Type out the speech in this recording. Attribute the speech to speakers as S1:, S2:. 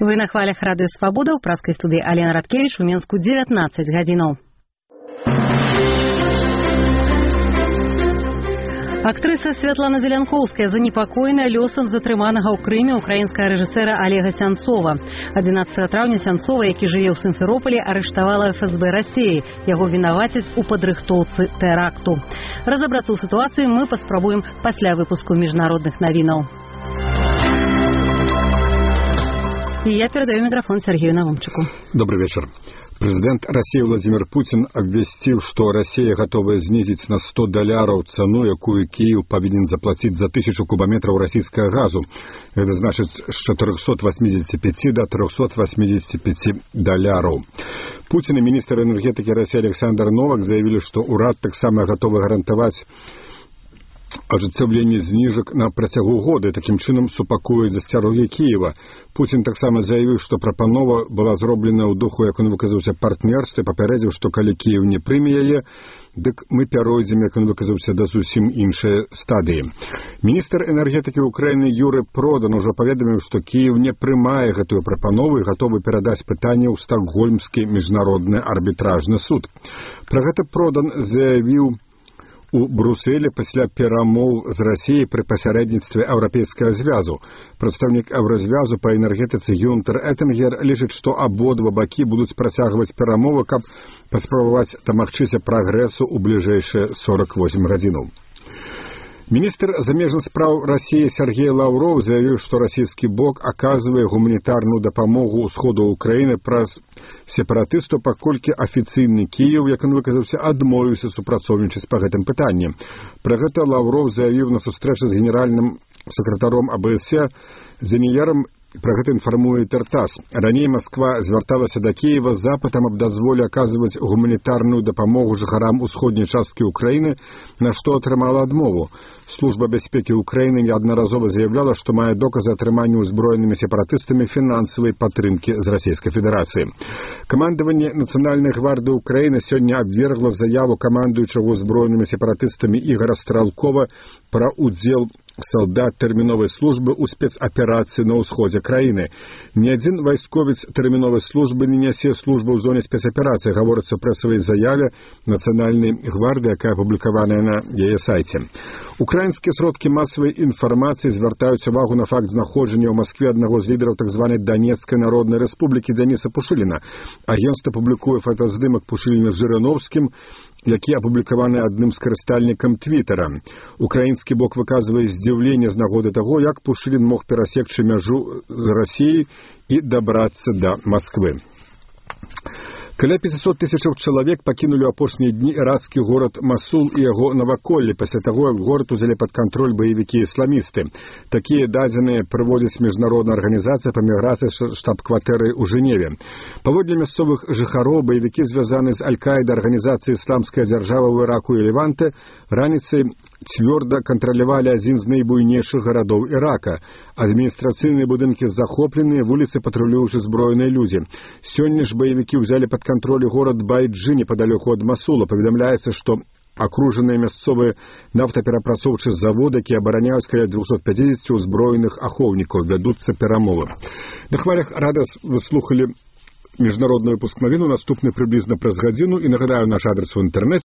S1: Вы на хвалях Радыё Свабода, ў праскай студыі Алена Радкевіч, у Менску 19 гадзінаў. Актрыса Святлана Зелянкоўская занепакоена лёсам затрыманага ў Крыме украінскага рэжысэра Олега Сянцова. 11 траўня Сянцова, які жыве ў Сімферополі, арыштавала ФСБ Расіі. Яго вінавацяць у падрыхтоўцы тэракту. Разабрацца ў сітуацыі мы паспрабуем пасля выпуску міжнародных навінаў. И я передаю микрофон Сергею Навумчику.
S2: Добрый вечер. Президент России Владимир Путин обвестил, что Россия готова снизить на $100 цену, якую Киев повинен заплатить за 1000 кубометров российского газу. Это значит с 485 до $385. Путин и министр энергетики России Александр Новак заявили, что уряд так само готовы гарантовать ажыццяўленне зніжак на працягу года, такім чынам супакоіць засцярогі Кіева. Путін таксама заявіў, што прапанова была зроблена ў духу, як он выказаўся, партнерства, папярэдзіў, што калі Кіев не прыме яе, дык мы пяройдзем, як он выказаўся, да зусім іншай стадыі. Міністр энергетыкі ўкраіны Юры Продан ужо паведаміў, што Кіев не прымае гэтую прапанову і гатовы перадаць пытанне ў Стокгольмскі міжнародны арбітражны суд. Пра гэта Продан заявіў у Брюсселі пасля перамоў з Расіяй пры пасярэдніцтве Еўрапейскага звязу. Прадстаўнік Еўразвязу па энергетыцы Гюнтер Эттингер лічыць, што абодва бакі будуць працягваць перамовы, каб паспрабаваць дамагчыся прагрэсу ў бліжэйшыя 48 гадзінаў. Министр замежных спраў России Сергей Лавров заявил, что российский бок оказывает гуманитарную допомогу усходу Украины праз сепаратыстаў, паколькі афіцыйны Киев, як он выказаўся, адмовіўся супрацоўнічаць па гэтым пытанні. Пра гэта Лавров заявіў на сустрэчы з генеральным сакратаром АБС Зеніярам. Про гэта інфармуе ТАСС. Раней Москва звярталася да Киева з запытам аб дазволе аказваць гуманітарную дапамогу жыхарам усходняй часткі Украіны, на што атрымала адмову. Служба бяспекі Украіны неаднаразова заявляла, што мае доказы атрымання ўзброенымі сепаратыстамі фінансавай падтрымкі з Расійскай Федэрацыі. Камандаванне Нацыянальнай гвардыі Украіны сёння абвергла заяву камандуючага ўзброенымі сепаратыстамі Ігора Стралкова пра ўдзел солдат тэрміновай службы ў спецаперацыі на ўсходзе краіны. Ні адзін вайсковец тэрміновай службы не нясе службу ў зоне спецаперацыі, гаворыцца ў прэсавай заяве Нацыянальнай гвардыі, якая апублікаваная на яе сайце. Украінскія сродкі масавай інфармацыі звяртаюць увагу на факт знаходжання ў Маскве аднаго з лідараў так званай Донецкай народнай рэспублікі Дзяніса Пушыліна. Агенцтва публікуе фотаздымак Пушыліна з Жырановскім, які апублікаваны адным з карыстальнікам Твіттера. Украінскі бок выказвае здзіўленне з нагоды таго, як Пушылін мог перасекчы мяжу з Расіяй і дабрацца да Масквы. Каля 500 тысячаў чалавек пакінулі ў апошнія дні ірацкі горад Масул і яго наваколле пасля таго, як горад узялі пад кантроль баевікі-ісламісты. Такія дадзеныя прыводзіць міжнародная арганізацыя па міграцыі штаб-кватэры ў Жэневе. Паводле мясцовых жыхароў, баевікі звязаны з Аль-Каідай арганізацыяй «Ісламская дзяржава» ў Іраку і Леванте раніцай цвёрда кантралявалі адзін з найбуйнейшых гарадоў Ірака. Адміністрацыйныя будынкі захопленыя, вуліцы патрулююць узброеныя людзі. Сёння ж баевікі ўзялі пад кантроль горад Байджы непадалёку ад Масула. Паведамляецца, што акружаныя мясцовыя нафтаперапрацоўчыя заводы, якія абараняюць каля 250 узброеных ахоўнікаў, вядуцца перамовы. На хвалях Радыё вы слухалі міжнародны выпуск навін, наступны прыблізна праз гадзіну, і нагадаю наш адрес у інтэрнэце